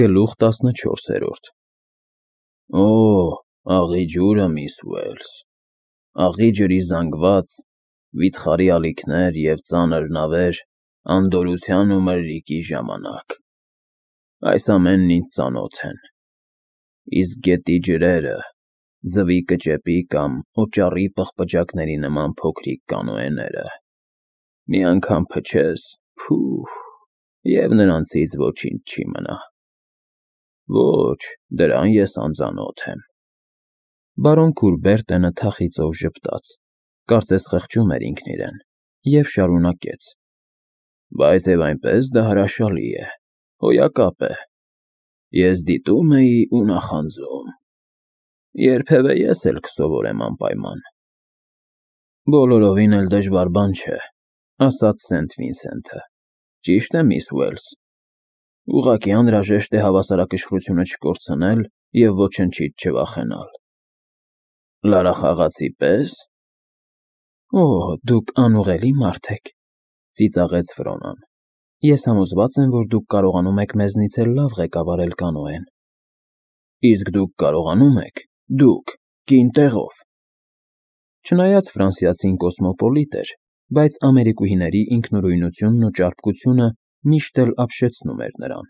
Գլուխ 14 Օ, աղի ջուրը, միս Ուելս, աղի ջրի զանգված, վիթխարի ալիքներ և ծանր նավեր անդորրության ու մրրիկի ժամանակ, այս ամենն ինձ ծանոթ են, իսկ գետի ջրերը, ձվի կճեպի կամ օճառի պղպջակների նման փոքրիկ կանոեները, մի անգամ փչես, փուհ, և նրանցից ոչինչ չի մնա, ոչ, դրան ես անծանոթ եմ, բարոն Քուրբերտենը թախիծով ժպտաց, կարծես խղճում էր ինքն իրեն, և շարունակեց, բայց և այնպես դա հրաշալի է, հոյակապ է, ես դիտում էի ու նախանձում, երբևէ ես էլ կսովորեմ անպայման, բոլորովին էլ դժվար բան չէ, ասաց Սենթ Վինսենթը, ճիշտ է, միս Ուելս, ուղղակի անհրաժեշտ է հավասարակշռությունը չկորցնել և ոչնչից չվախենալ, լարախաղացի պես, օ, դուք անուղղելի մարդ եք, ծիծաղեց Ֆրոնան, ես համոզված եմ, որ դուք կարողանում եք մեզնից էլ լավ ղեկավարել կանոեն, իսկ դուք կարողանում եք, դուք, կին տեղով, չնայած ֆրանսիացին կոսմոպոլիտ էր, բայց ամերիկուհիների ինքնուրույնությունն ու ճարպկությունը միշտ էլ ապշեցնում էր նրան,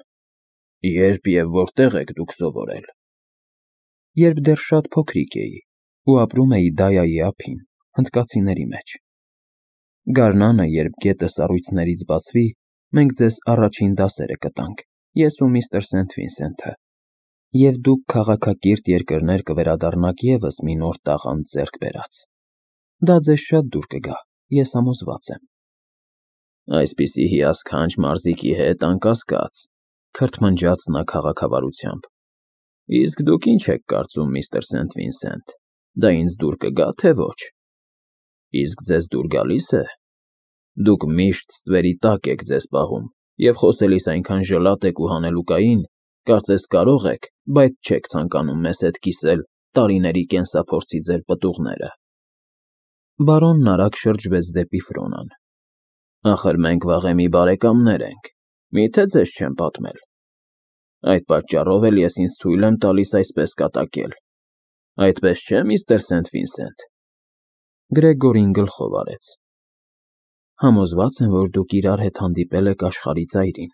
երբ և որտեղ եք դուք սովորել, երբ դեռ շատ փոքրիկ էի ու ապրում էի Դայայի ափին, հնդկացիների մեջ, գարնանը, երբ գետը սառույցներից բացվի, մենք ձեզ առաջին դասերը կտանք, ես ու միստր Սենթ Վինսենթը, և դուք քաղաքակիրթ երկրներ կվերադառնաք ևս մի նոր տաղանդ ձեռք բերած, դա ձեզ շատ դուր կգա, ես համոզված եմ, այսպիսի հիասքանչ մարզիկի հետ, անկասկած, քրթմնջաց նա քաղաքավարությամբ, իսկ դուք ինչ եք կարծում, միստր Սենթ Վինսենթ, դա ինձ դուր կգա, թե ոչ, իսկ ձեզ դուր գալի՞ս է, դուք միշտ ստվերի տակ եք ձեզ պահում և խոսելիս այնքան ժլատ եք ու հանելուկային, կարծես կարող եք, բայց չեք ցանկանում մեզ հետ կիսել տարիների կենսափորձի ձեր պտուղները, բարոնն արագ շրջվեց դեպի Ֆրոնան, ախր մենք վաղեմի բարեկամներ ենք, միթե ձեզ չեմ պատմել, այդ պատճառով էլ ես ինձ թույլ եմ տալիս այսպես կատակել, այդպես չէ՞, միստր Սենթ Վինսենթ, Գրեգորին գլխով արեց, համոզված եմ, որ դուք իրար հետ հանդիպել եք աշխարհի ծայրին,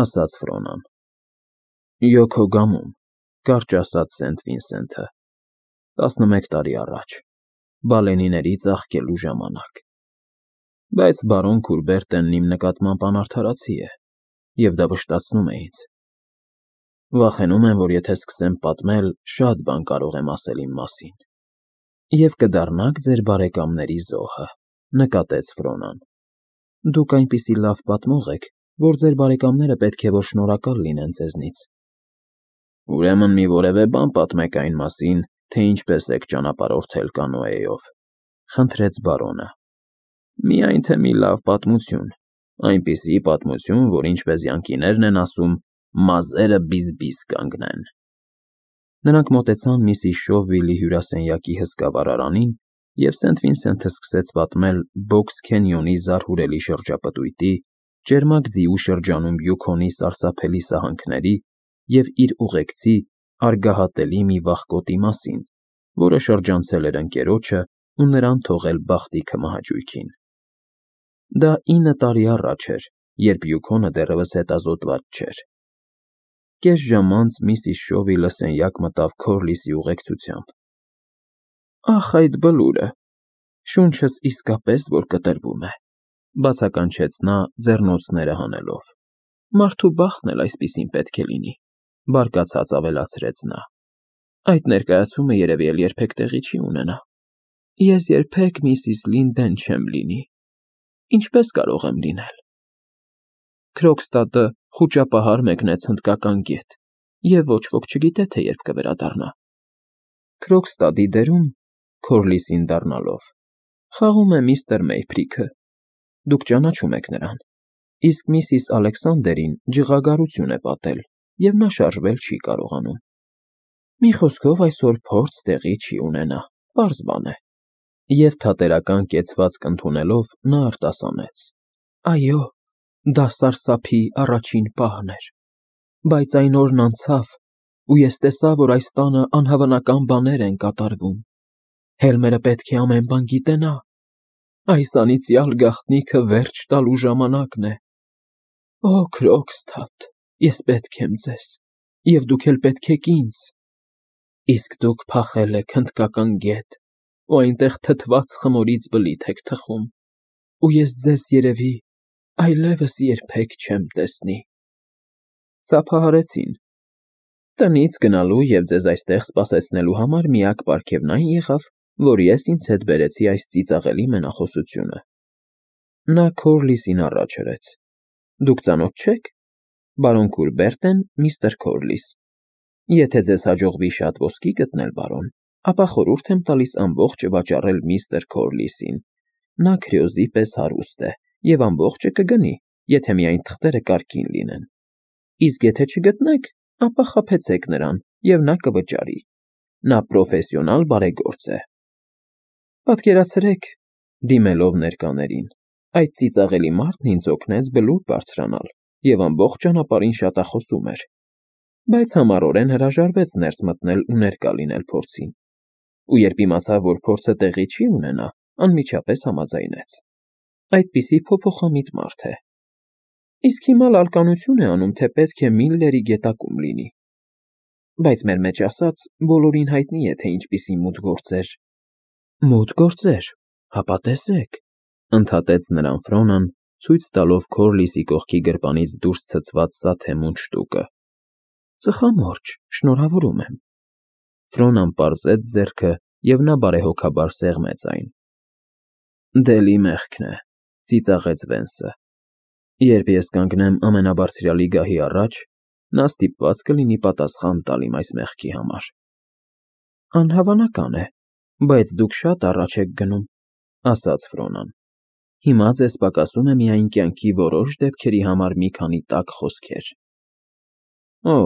ասաց Ֆրոնան, Յոքոգամում, կարճ ասաց Սենթ Վինսենթը, 11 տարի առաջ, բալենիների ծաղկելու ժամանակ, բայց բարոն Քուրբերտենն իմ նկատմամբ անարդարացի է, և դա վշտացնում է ինձ, վախենում եմ, որ եթե սկսեմ պատմել, շատ բան կարող եմ ասել իմ մասին, և կդառնաք ձեր բարեկամների զոհը, նկատեց Ֆրոնան, դուք այնպիսի լավ պատմող եք, որ ձեր բարեկամները պետք է որ շնորհակալ լինեն ձեզնից, ուրեմն մի որևէ բան պատմեք այն մասին, թե ինչպես եք ճանապարհորդել կանոեով, խնդրեց բարոնը, միայն թե մի լավ պատմություն, այնպիսի պատմություն, որ ինչպես յանկիներն են ասում, մազերը բիզ-բիզ կանգնեն, նրանք մոտեցան Միսիս Շովվիլի հյուրասենյակի հսկա վառարանին, և Սենթ Վինսենթը սկսեց պատմել Բոքս Քենյոնի զարհուրելի շրջապտույտի, ճերմակ ձիու շրջանում Յուքոնի սարսափելի սահանքների և իր ուղեկցի, արգահատելի մի վախկոտի մասին, որը շրջանցել էր ընկերոջը ու նրան թողել բախտի քմահաճույքին, դա 9 տարի առաջ էր, երբ Յուքոնը դեռևս հետազոտված չէր, կես ժամ անց Միսիս Շովիլը սենյակ մտավ Քորլիսի ուղեկցությամբ, ախ այդ բլուրը, շունչս իսկապես որ կտրվում է, բացականչեց նա ձեռնոցները հանելով, մարդու բախտն էլ այսպիսին պետք է լինի, բարկացած ավելացրեց նա, այդ ներկայացումը երևի էլ երբեք տեղի չի ունենա, ես երբեք Միսիս Լինդեն չեմ լինի, ինչպես կարող եմ լինել, Քրոքստադը խուճապահար մեկնեց հնդկական գետ, և ոչ ոք չգիտե, թե երբ կվերադառնա, Քրոքստադի դերում, Քորլիսին դառնալով, խաղում է միստր Մեյփրիքը, դուք ճանաչում եք նրան, իսկ Միսիս Ալեքսանդերին ջղագարություն է պատել, և նա շարժվել չի կարողանում, մի խոսքով այսօր փորձ տեղի չի ունենա, պարզ բան է, և թատերական կեցվածք ընդունելով նա արտասանեց, այո, դա սարսափի առաջին պահն էր, Բայց այն օրն անցավ, ու ես տեսա, որ այս տանը անհավանական բաներ են կատարվում։ Հելմերը պետք է ամեն բան գիտենա։ Այս անիծյալ գաղտնիքը վերջ տալու ժամանակն է։ Օ, Քրոքսթաթ, ես պետք եմ ձեզ, և դուք էլ պետք եք ինձ։ Իսկ դուք փախել եք հնդկական գետ, ու այնտեղ թթված խմորից բլիթ եք թխում, ու ես ձեզ երևի այլևս երբեք չեմ տեսնի։ Ծափահարեցին։ Տնից գնալու և ձեզ այստեղ սպասեցնելու համար միակ պարգևն այն եղավ, որ ես ինձ հետ բերեցի այս ծիծաղելի մենախոսությունը։ Նա Քորլիսին առաջ հրեց։ Դուք ծանոթ չե՞ք։ Բարոն Քուրբերտն, միստր Քորլիս։ Եթե ձեզ հաջողվի շատ ոսկի գտնել, բարոն, ապա խորհուրդ եմ տալիս ամբողջը վաճառել միստր Քորլիսին։ Նա քրեոզի պես հարուստ է և ամբողջը կգնի, եթե միայն թղթերը կարգին լինեն։ Իսկ եթե չգտնեք, ապա խաբեցեք նրան, և նա կվճարի։ Նա պրոֆեսիոնալ բարեգործ է։ Պատկերացրեք, դիմելով ներկաներին, այդ ծիծաղելի մարդն ինձ օգնեց բլուր բարձրանալ և ամբողջ ճանապարհին շատախոսում էր, բայց համառորեն հրաժարվեց ներս մտնել ու ներկա լինել փորձին։ Ու երբ իմացավ, որ փորձը տեղի չի ունենա, անմիջապես համաձայնեց։ Այդպիսի փոփոխամիտ մարդ է։ Իսկ հիմա լալկանություն է անում, թե պետք է Միլլերի գետակում լինի։ Բայց մեր մեջ ասած, բոլորին հայտնի է, թե ինչպիսի մութ գործեր։ Մութ գործեր, հապա տեսեք, ընդհատեց նրան Ֆրոնան, ցույց տալով Քորլիսի կողքի գրպանից դուրս ցցված սաթեմուն շտուկը։ Ծխամորճ, շնորհավորում եմ։ Ֆրոնան պարզեց ձեռքը, և նա բարեհոգաբար սեղմեց այն։ Դելի մեղքն է, ծիծաղեց Վենսը։ Երբ ես կանգնեմ ամենաբարձրյալի գահի առաջ, նա ստիպված կլինի պատասխան տալ իմ այս մեղքի համար։ Անհավանական է, բայց դուք շատ առաջ եք գնում, ասաց Ֆրոնան։ Հիմա ձեզ պակասում է միայն կյանքի որոշ դեպքերի համար մի քանի տաք խոսքեր։ Օ,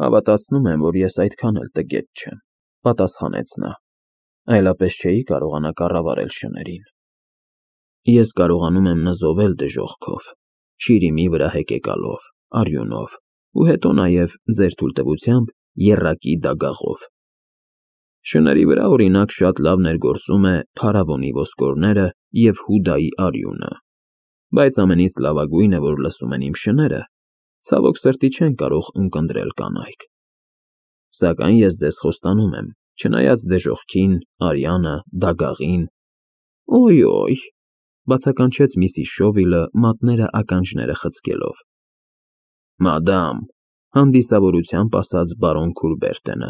հավատացնում եմ, որ ես այդքան էլ տգետ չեմ, պատասխանեց նա։ Այլապես չէի կարողանա կառավարել շներին։ Ես կարողանում եմ նզովել դժոխքով, շիրիմի վրա հեկեկալով, արյունով, ու հետո նաև, ձեր թույլտվությամբ, եռակի դագաղով։ Շների վրա, օրինակ, շատ լավ ներգործում է փարավոնի ոսկորները և Հուդայի արյունը, բայց ամենից լավագույնը, որ լսում են իմ շները, ցավոք սրտի չեն կարող ունկնդրել կանայք։ Սակայն ես ձեզ խոստանում եմ, չնայած դժոխքին, արյանը, դագաղին։ Օյ, բացականչեց Միսիս Շովիլը, մատները ականջները խցկելով։ Մադամ, հանդիսավորությամբ ասաց բարոն Քուրբերտենը,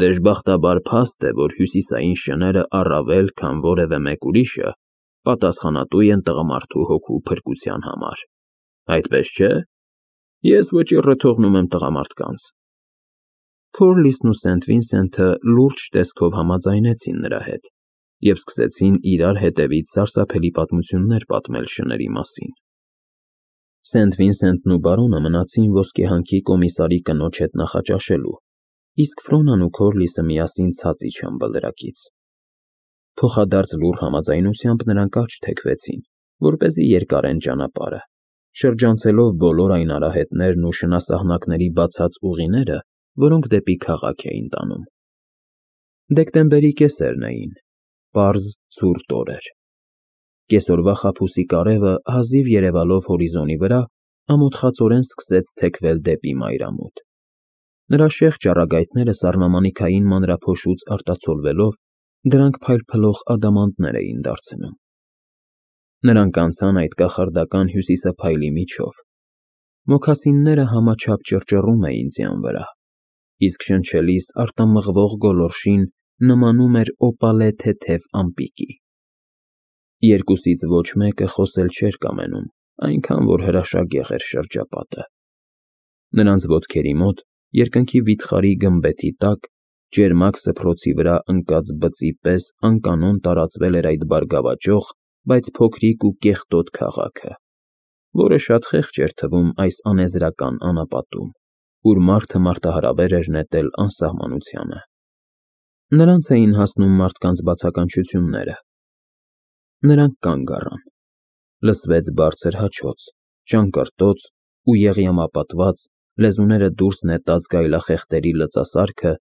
դժբախտաբար փաստ է, որ հյուսիսային շները առավել, քան որևէ մեկ ուրիշը, պատասխանատու են տղամարդու հոգու փրկության համար։ Այդպես չէ՞։ Ես վճիռը թողնում եմ տղամարդկանց։ Քորլիսն ու Սենթ Վինսենթը լուրջ տեսքով համաձայնեցին նրա հետ և սկսեցին իրար հետևից սարսափելի պատմություններ պատմել շների մասին։ Սենթ Վինսենթն ու բարոնը մնացին ոսկեհանքի կոմիսարի կնոջ հետ նախաճաշելու, իսկ Ֆրոնան ու Քորլիսը միասին ցած իջան բլրակից։ Փոխադարձ լուռ համաձայնությամբ նրանք աջ թեքվեցին, որպեսզի երկարեն ճանապարհը, շրջանցելով բոլոր այն արահետներն ու շնասահնակների բացած ուղիները, որոնք դեպի քաղաք էին տանում։ Դեկտեմբերի կեսերն էին, պարզ ցուրտ օրեր։ Կեսօրվա խաբուսի կարևը հազիվ երևալով հորիզոնի վրա, ամոթխածորեն սկսեց թեքվել դեպի մայրամուտ։ Նրա շեղջ առագայթները սառնամանիքային մանրափոշուց արտացոլվելով, դրանք փայլփլող ադամանդներ էին դարձնում։ Նրանք անցան այդ կախարդական հյուսիսափայլի միջով։ Մոքասինները համաչափ ճռճռում էին ձյան վրա, իսկ շնչելիս արտամղվող գոլորշին նմանում էր օպալե թեթև ամպիկի։ Երկուսից ոչ մեկը խոսել չէր կամենում, այնքան որ հրաշագեղ էր շրջապատը։ Նրանց ոտքերի մոտ, երկնքի վիթխարի գմբեթի տակ, ճերմակ սփռոցի վրա ընկած բծի պես անկանոն տարածվել էր այդ բարգավաճող, բայց փոքրիկ ու կեղտոտ քաղաքը, որը շատ խեղճ էր թվում այս անեզրական անապատում, ուր մարդը մարտահրավեր էր նետել անսահմանությանը։ Նրանց էին հասնում մարդկանց բացականչությունները։ Նրանք կանգ առան։ Լսվեց բարձր հաչոց, ճանկռտոց ու եղյամապատված, Լեզուները դուրս նետած գայլախեղտերի լծասարքը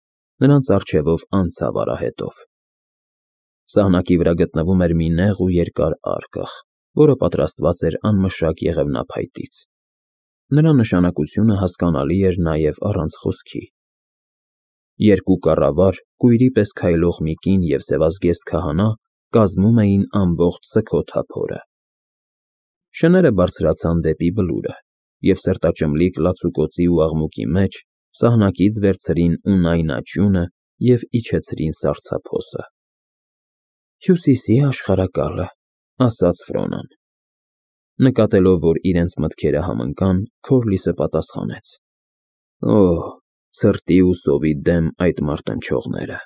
նրանց առջևով անցավ արահետով։ Սահնակի վրա գտնվում էր մի նեղ ու երկար արկղ, որը պատրաստված էր անմշակ եղևնափայտից։ Նրա նշանակությունը հասկանալի էր նաև առանց խոսքի։ Երկու կառավար, կույրի պես քայլող մի կին և սևազգեստ քահանա կազմում էին ամբողջ սգոթափորը։ Շները բարձրացան դեպի բլուրը և սրտաճմլիկ լացուկոծի ու աղմուկի մեջ սահնակից վերցրին Ունայն աճյունը և իջեցրին սառցափոսը։ «Հյուսիսի աշխարհակալը», ասաց Ֆրոնան։ Նկատելով, որ իրենց մտքերը համընկան, Քորլիսը պատասխանեց. «Օ՜, ցրտի ու սովի դեմ այդ մարտնչողները։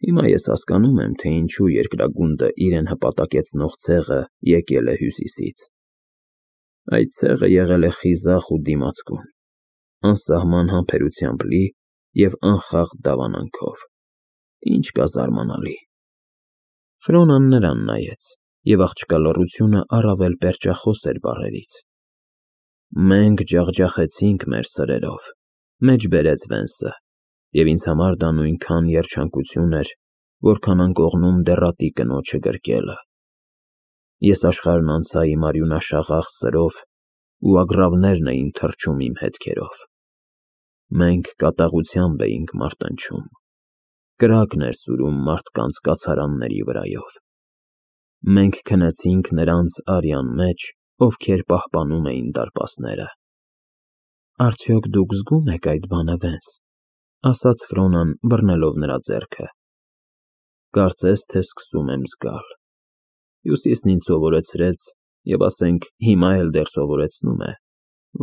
Հիմա ես հասկանում եմ, թե ինչու երկրագունդը իրեն հպատակեցնող ցեղը եկել է հյուսիսից։ Այդ ցեղը եղել է խիզախ ու դիմացկուն, անսահման համբերությամբ լի և անխախտ դավանանքով։ Ինչ կա զարմանալի»։ Ֆրոնան նրան նայեց, և աղջկա լռությունը առավել պերճախոս էր բառերից։ «Մենք ջախջախեցինք մեր սրերով», մեջբերեց Վենսը, «և ինձ համար դա նույնքան երջանկություն էր, որքան անկողնում դեռատի կնոջը գրկելը։ Ես աշխարհն անցա իմ արյունաշաղախ սրով, ու ագռավներն էին թռչում իմ հետքերով։ Մենք կատաղությամբ էինք մարտնչում, կրակն էր սուրում մարդկանց կացարանների վրայով։ Մենք քնեցինք նրանց արյան մեջ, ովքեր պահպանում էին դարպասները»։ «Արդյոք դուք զգում եք այդ բանը, Վենս», ասաց Ֆրոնան, բռնելով նրա ձեռքը։ «Կարծես թե սկսում եմ զգալ։ Հյուսիսն ինձ սովորեցրեց, և ասենք հիմա էլ դեռ սովորեցնում է,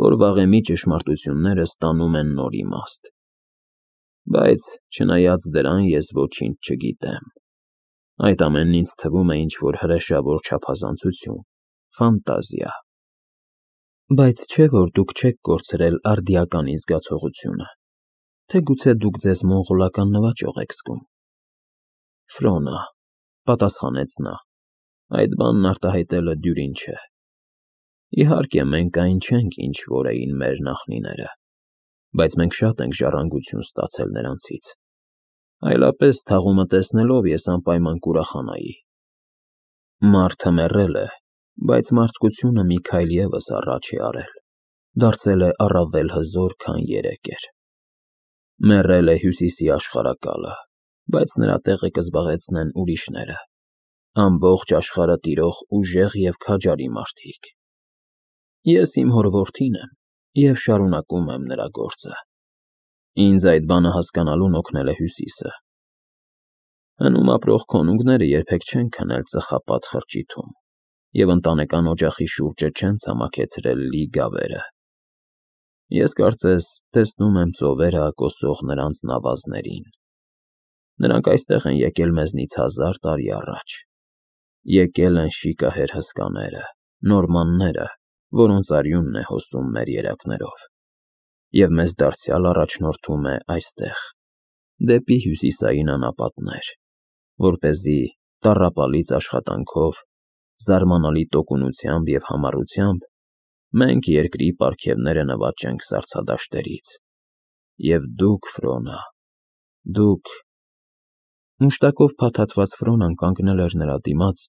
որ վաղեմի ճշմարտությունները ստանում են նոր իմաստ։ Բայց չնայած դրան ես ոչինչ չգիտեմ։ Այդ ամենն ինձ թվում է ինչ-որ հրեշավոր չափազանցություն, ֆանտազիա։ Բայց չէ՞ որ դուք չեք կորցրել արդիականի զգացողությունը, թե գուցե դուք ձեզ մոնղոլական նվաճող եք զգում»։ «Ֆրոնա», պատասխանեց նա, «այդ բանն արտահայտելը դյուրին չէ։ Իհարկե, մենք այն չենք, ինչ որ էին մեր նախնիները, բայց մենք շատ ենք ժառանգություն ստացել նրանցից։ Այլապես, թաղումը տեսնելով, ես անպայման կուրախանայի։ Մարդը մեռել է, բայց մարդկությունը մի քայլ ևս առաջ է արել, դարձել է առավել հզոր, քան երեկ էր։ Մեռել է Հյուսիսի աշխարհակալը, բայց նրա տեղը կզբաղեցնեն ուրիշները, ամբողջ աշխարհը տիրող ուժեղ և քաջարի մարդիկ։ Ես իմ հոր որդին եմ և շարունակում եմ նրա գործը։ Ինձ այդ բանը հասկանալուն օգնել է Հյուսիսը։ Հնում ապրող քոնունգները երբեք չեն քնել ծխապատ խրճիթում և ընտանեկան օջախի շուրջը չեն ցամաքեցրել լի գավերը։ Ես կարծես տեսնում եմ ծովերը ակոսող նրանց նավազներին։ Նրանք այստեղ են եկել մեզնից 1000 տարի առաջ։ Եկել են շիկահեր հսկաները, նորմանները, որոնց արյունն է հոսում մեր երակներով, և մեզ դարձյալ առաջնորդում է այստեղ, դեպի հյուսիսային անապատներ, որպեսզի տառապալից աշխատանքով, զարմանալի տոկունությամբ և համառությամբ մենք երկրի պարգևները նվաճենք սառցադաշտերից։ Եվ դուք, Ֆրոնա, դուք… Մուշտակով փաթաթված Ֆրոնան կանգնել էր նրա դիմաց,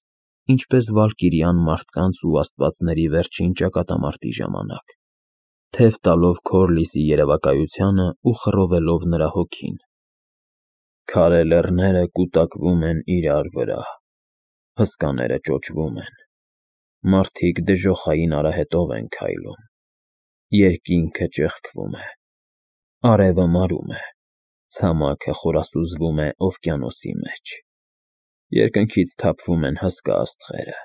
ինչպես վալկիրյան մարդկանց ու աստվածների վերջին ճակատամարտի ժամանակ, թև տալով Քորլիսի երևակայությանը ու խռովելով նրա հոգին։ Քարե լեռները կուտակվում են իրար վրա, հսկաները ճոճվում են, մարդիկ դժոխային արահետով են քայլում, երկինքը ճեղքվում է, արևը մարում է, ցամաքը խորասուզվում է օվկիանոսի մեջ, երկնքից թափվում են հսկա աստղերը,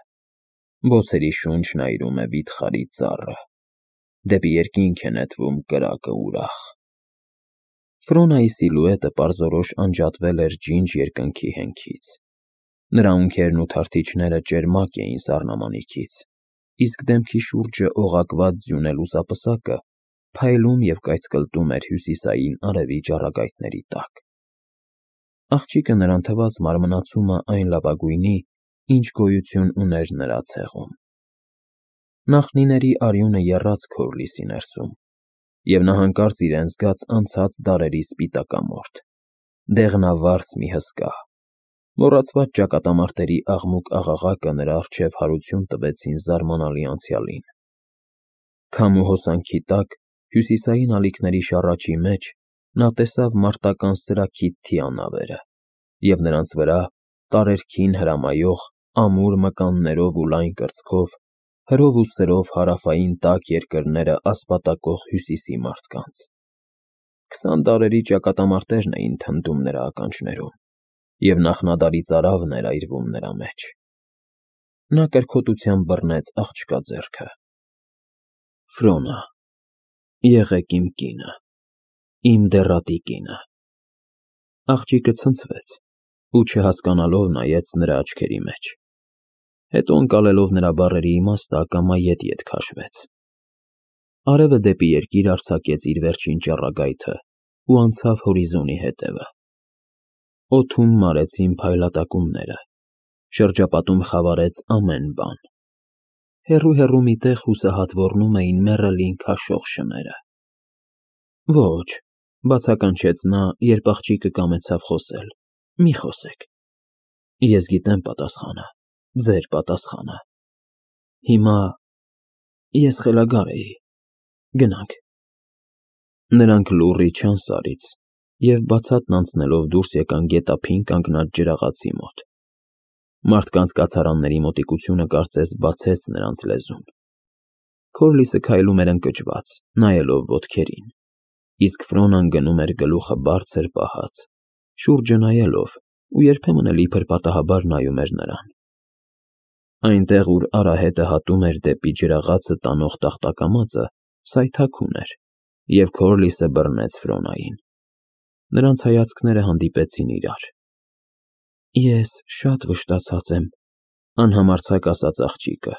բոցերի շունչն այրում է վիթխարի ծառը, դեպի երկինք է նետվում կրակը ուրախ։ Ֆրոնայի սիլուետը պարզորոշ անջատվել էր ջինջ երկնքի հենքից։ Նրա ունքերն ու թարթիչները ճերմակ էին սառնամանիքից, իսկ դեմքի շուրջը օղակված ձյունե լուսապսակը փայլում և կայծկլտում էր հյուսիսային արևի ճառագայթների տակ։ Աղջիկը նրան թվաց մարմնացումը այն լավագույնի, ինչ գոյություն ուներ նրա ցեղում։ Նախնիների արյունը եռաց Քորլիսի ներսում, և նա հանկարծ իրեն զգաց անցած դարերի սպիտակամորթ, դեղնավարձ մի հսկա, մոռացված ճակատամարտերի աղմուկ-աղաղակը նրա առջև հարություն տվեցին զարմանալի անցյալին։ Քամու հոսանքի տակ, հյուսիսային ալիքների շառաչի մեջ նա տեսավ մարտական սրաքիթ թիանավերը և նրանց վրա, տարերքին հրամայող, ամուր մկաններով ու լայն կրծքով, հրով ու սրով հարավային տաք երկրները ասպատակող հյուսիսի մարդկանց։ 20 դարերի ճակատամարտերն էին թնդում նրա ականջներում, և նախնադարի ծարավն էր այրվում նրա մեջ։ Նա կրքոտությամբ բռնեց աղջկա ձեռքը։ Ֆրոնա, եղեք իմ կինը, իմ դեռատի կինը։ Աղջիկը ցնցվեց ու չհասկանալով նայեց նրա աչքերի մեջ, հետո ընկալելով նրա բառերի իմաստը ակամա ետ քաշվեց։ Արևը դեպի երկիր արձակեց իր վերջին ճառագայթը ու անցավ հորիզոնի հետևը։ Օդում մարեցին փայլատակումները, շրջապատում խավարեց ամեն բան։ Հեռու մի տեղ հուսահատ ոռնում էին մեռելին քաշող շները։ Ոչ, բացականչեց նա, երբ աղջիկը կամեցավ խոսել, մի խոսեք։ Ես գիտեմ պատասխանը, ձեր պատասխանը։ Հիմա ես խելագար էի, գնանք։ Նրանք լուռ իջան սարից և բացատն անցնելով դուրս եկան գետափին կանգնած ջրաղացի մոտ։ Մարդկանց կացարանների մոտիկությունը կարծես բացեց նրանց լեզուն։ Քորլիսը քայլում էր ընկճված, նայելով ոտքերին, իսկ Ֆրոնան գնում էր գլուխը բարձր պահած, շուրջը նայելով ու երբեմն էլ իբր պատահաբար նայում էր նրան։ Այնտեղ, ուր արահետը հատում էր դեպի ջրաղացը տանող տախտակամածը, սայթաքուն էր, և Քորլիսը բռնեց Ֆրոնային։ Նրանց հայացքները հանդիպեցին իրար։ Ես շատ վշտացած եմ, անհամարձակ ասաց աղջիկը,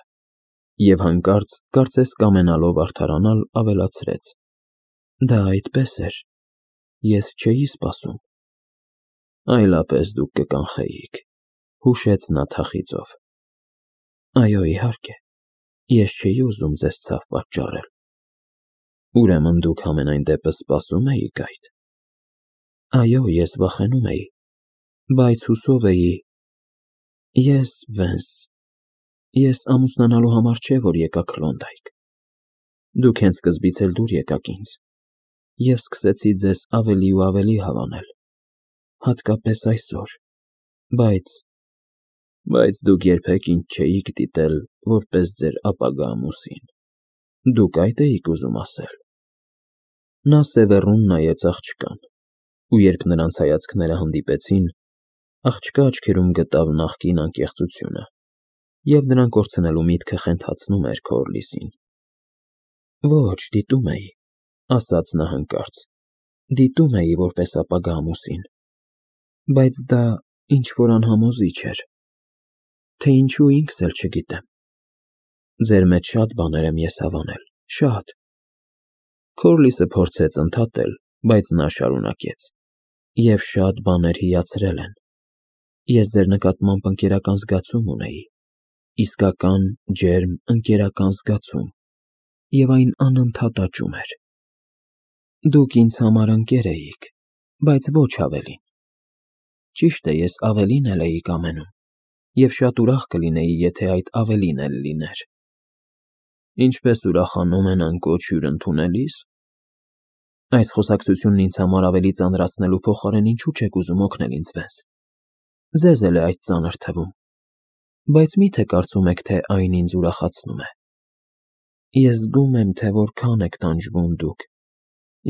և հանկարծ, կարծես կամենալով արդարանալ, ավելացրեց. Դա այդպես էր, ես չէի սպասում։ Այլապես դուք կկանխեիք, հուշեց նա թախիծով։ Այո, իհարկե, ես չէի ուզում ձեզ ցավ պատճառել։ Ուրեմն դուք համենայն դեպս սպասում էիք այդ։ Այո, ես վախենում էի, բայց հուսով էի։ Վենս, ես ամուսնանալու համար չէ, որ եկա Քլոնդայք։ Դուք հենց սկզբից էլ դուր եկաք ինձ, և սկսեցի ձեզ ավելի ու ավելի հավանել, հատկապես այսօր, բայց դուք երբեք ինձ չէիք դիտել որպես ձեր ապագա ամուսին։ Դուք այդ էիք ուզում ասել։ Նա սևեռուն նայեց աղջկան, ու երբ նրանց հայացքները հանդիպեցին, աղջկա աչքերում գտավ նախկին անկեղծությունը, և նրան կորցնելու միտքը խենթացնում էր Քորլիսին։ Ոչ, դիտում էի, ասաց նա հանկարծ, դիտում էի որպես ապագա ամուսին, բայց դա ինչ-որ անհամոզիչ էր, թե ինչու ինքս էլ չգիտեմ։ Ձեր մեջ շատ բաներ եմ ես հավանել, շատ։ Քորլիսը փորձեց ընդհատել, բայց նա շարունակեց. Եվ շատ բաներ հիացրել են։ Ես ձեր նկատմամբ ընկերական զգացում ունեի, իսկական, ջերմ, ընկերական զգացում, և այն անընդհատ աճում էր։ Դուք ինձ համար ընկեր էիք, բայց ոչ ավելին։ Ճիշտ է, ես ավելին էլ էի կամենում, և շատ ուրախ կլինեի, եթե այդ ավելին էլ լիներ։ Ինչպես ուրախանում են անկոչ հյուր ընդունելիս։ Այս խոսակցությունն ինձ համար ավելի ծանրացնելու փոխարեն ինչու չեք ուզում օգնել ինձ, Վենս։ Ձեզ էլ է այդ ծանր թվում, բայց մի՞թե կարծում եք, թե այն ինձ ուրախացնում է։ Ես զգում եմ, թե որքան եք տանջվում դուք,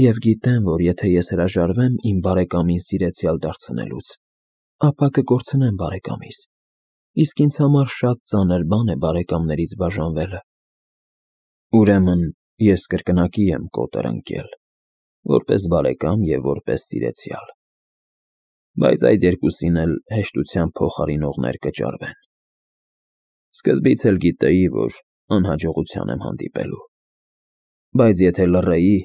և գիտեմ, որ եթե ես հրաժարվեմ իմ բարեկամին սիրեցյալ դարձնելուց, ապա կկորցնեմ բարեկամիս, իսկ ինձ համար շատ ծանր բան է բարեկամներից բաժանվելը։ Ուրեմն ես կրկնակի եմ կոտր ընկել, որպես բարեկամ և որպես սիրեցյալ, բայց այդ երկուսին էլ հեշտությամբ փոխարինողներ կճարվեն։ Սկզբից էլ գիտեի, որ անհաջողության եմ հանդիպելու, բայց եթե լռեի,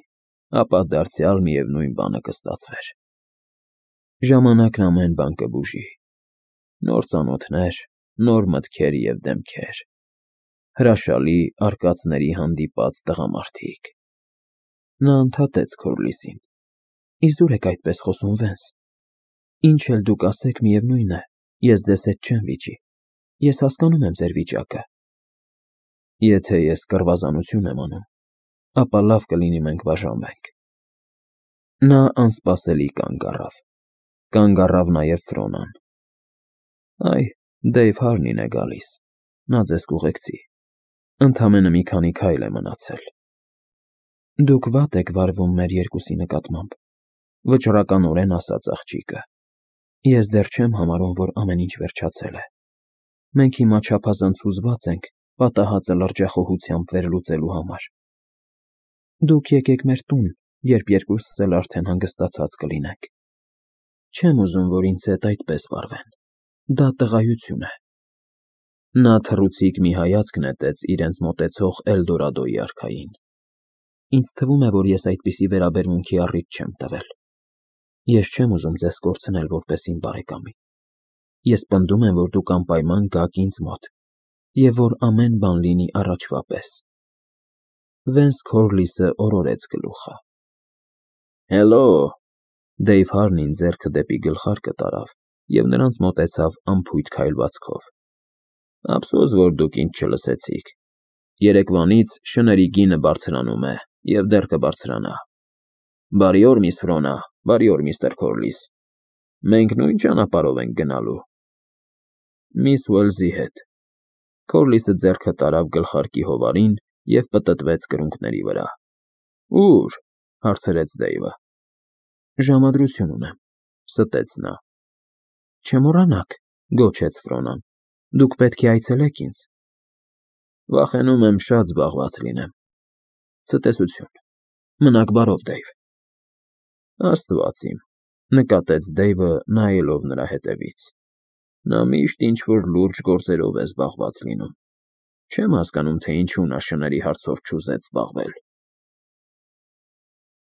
ապա դարձյալ միևնույն բանը կստացվեր։ Ժամանակն ամեն բան կբուժի։ Նոր ծանոթներ, նոր մտքեր և դեմքեր, հրաշալի արկածների հանդիպած տղամարդիկ։ Նա ընդհատեց Քորլիսին։ Իզուր եք այդպես խոսում, Վենս։ Ինչ էլ դուք ասեք, միևնույն է, ես ձեզ հետ չեմ վիճի։ Ես հասկանում եմ ձեր վիճակը։ Եթե ես կռվազանություն եմ անում, ապա լավ կլինի մենք բաժանվենք։ Նա անսպասելի կանգ առավ։ Կանգ առավ նաև Ֆրոնան։ Այ, Դեյվ Հարնին է գալիս։ Նա ձեզ կուղեկցի։ Ընդամենը մի քանի քայլ է մնացել։ Դուք վատ եք վարվում մեր երկուսի նկատմամբ, վճռականորեն ասաց աղջիկը։ Ես դեռ չեմ համարում, որ ամեն ինչ վերջացել է։ Մենք հիմա չափազանց հուզված ենք պատահածը լրջախոհությամբ վերլուծելու համար։ Դուք եկեք մեր տուն, երբ երկուսս էլ արդեն հանգստացած կլինենք։ Չեմ ուզում, որ ինձ հետ այդպես վարվեն։ Դա տղայություն է։ Նա թռուցիկ մի հայացք նետեց իրենց մոտեցող Էլդորադոյի արքային։ Ինձ թվում է, որ ես այդպիսի վերաբերմունքի առիթ չեմ տվել։ Ես չեմ ուզում ձեզ կորցնել որպես իմ բարեկամի։ Ես պնդում եմ, որ դուք անպայման գաք ինձ մոտ, և որ ամեն բան լինի առաջվա պես։ Վենս Քորլիսը օրորեց գլուխը։ Հելո։ Դեյվ Հարնին ձեռքը դեպի գլխարկը տարավ և նրանց մոտեցավ անփույթ քայլվածքով։ Ափսոս, որ դուք ինձ չլսեցիք։ Երեկվանից շների գինը բարձրանում է և դեռ կբարձրանա։ Բարի օր, միս Ֆրոնա, բարի օր, միստր Քորլիս։ Մենք նույն ճանապարհով ենք գնալու։ Միս Ուելսի հետ։ Քորլիսը ձեռքը տարավ գլխարկի հովարին և պտտվեց կրունկների վրա։ Ո՞ւր, հարցրեց Դեյվը։ Ժամադրություն ունեմ, ստեց նա։ Չմոռանաք, գոչեց Ֆրոնան, դուք պետք է այցելեք ինձ։ Վախենում եմ շատ զբաղված լինեմ։ Ցտեսություն։ Մնաք բարով, Դեյվ։ Աստված իմ, նկատեց Դեյվը, նայելով նրա ետևից։ Նա միշտ ինչ-որ լուրջ գործերով է զբաղված լինում։ Չեմ հասկանում, թե ինչու նա շների հարցով չուզեց զբաղվել։